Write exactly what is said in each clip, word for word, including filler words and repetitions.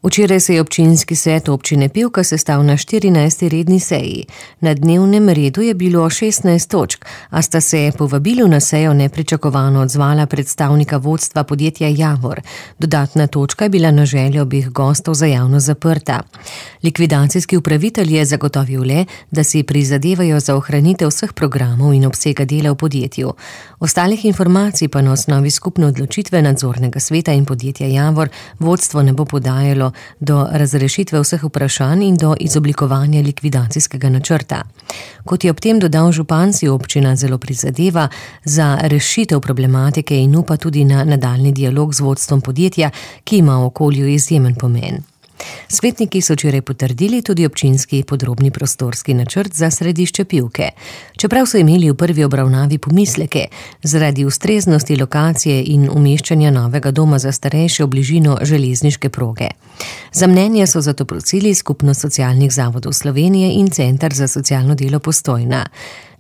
Včeraj se je občinski svet občine Pivka sestal na štirinajsti redni seji. Na dnevnem redu je bilo šestnajst točk, a sta se povabilu na sejo nepričakovano odzvala predstavnika vodstva podjetja Javor. Dodatna točka je bila na željo obeh gostov za javno zaprta. Likvidacijski upravitelj je zagotovil le, da si prizadevajo za ohranitev vseh programov in obsega dela v podjetju. Ostalih informacij pa na osnovi skupne odločitve nadzornega sveta in podjetja Javor vodstvo ne bo podajalo do razrešitve vseh vprašanj in do izoblikovanja likvidacijskega načrta. Kot je ob tem dodal župan, si občina zelo prizadeva za rešitev problematike in upa tudi na nadaljnji dialog z vodstvom podjetja, ki ima v okolju izjemen pomen. Svetniki so včeraj potrdili tudi občinski podrobni prostorski načrt za središče Pivke. Čeprav so imeli v prvi obravnavi pomisleke zaradi ustreznosti lokacije in umeščanja novega doma za starejše v bližino železniške proge. Za mnenje so zato prosili Skupnost socialnih zavodov Slovenije in Center za socialno delo Postojna.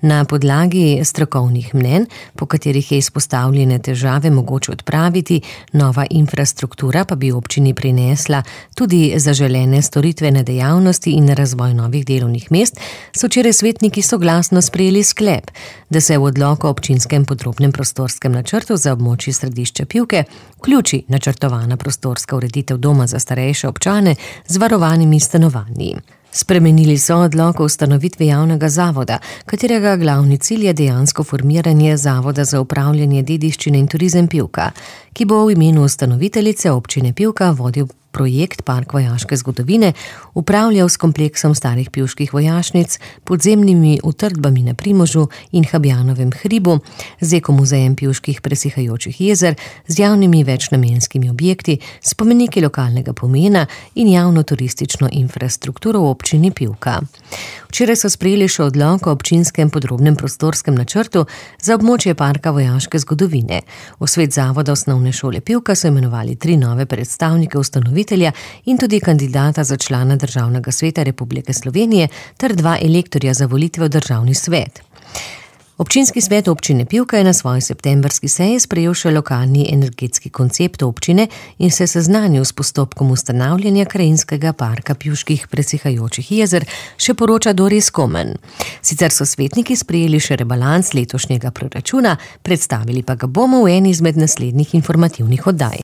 Na podlagi strokovnih mnenj, po katerih je izpostavljene težave mogoče odpraviti, nova infrastruktura pa bi občini prinesla tudi zaželene storitvene dejavnosti in razvoj novih delovnih mest, so včeraj svetniki soglasno sprejeli sklep, da se v odloku o občinskem podrobnem prostorskem načrtu za območje središča Pivke vključi načrtovana prostorska ureditev doma za starejše občane z varovanimi stanovanji. Spremenili so odlok o ustanovitvi javnega zavoda, katerega glavni cilj je dejansko formiranje Zavoda za upravljanje dediščine in turizem Pivka, ki bo v imenu ustanoviteljice občine Pivka vodil projekt Park vojaške zgodovine, upravljal s kompleksom starih pivških vojašnic, podzemnimi utrdbami na Primožu in Habjanovem hribu, z ekomuzejem pivških presihajočih jezer, z javnimi večnamenskimi objekti, spomeniki lokalnega pomena in javno turistično infrastrukturo v občini Pivka. Včeraj so sprejeli še odlok o občinskem podrobnem prostorskem načrtu za območje Parka vojaške zgodovine. V svet zavoda osnovne šole Pivka so imenovali tri nove predstavnike ustanovitelja in tudi kandidata za člana Državnega sveta Republike Slovenije ter dva elektorja za volitve v Državni svet. Občinski svet občine Pivka je na svoji septembrski seji sprejel še lokalni energetski koncept občine in se seznanil s postopkom ustanavljanja krajinskega parka pivških presihajočih jezer, še poroča Doris Komen. Sicer so svetniki sprejeli še rebalans letošnjega proračuna, predstavili pa ga bomo v eni izmed naslednjih informativnih oddaj.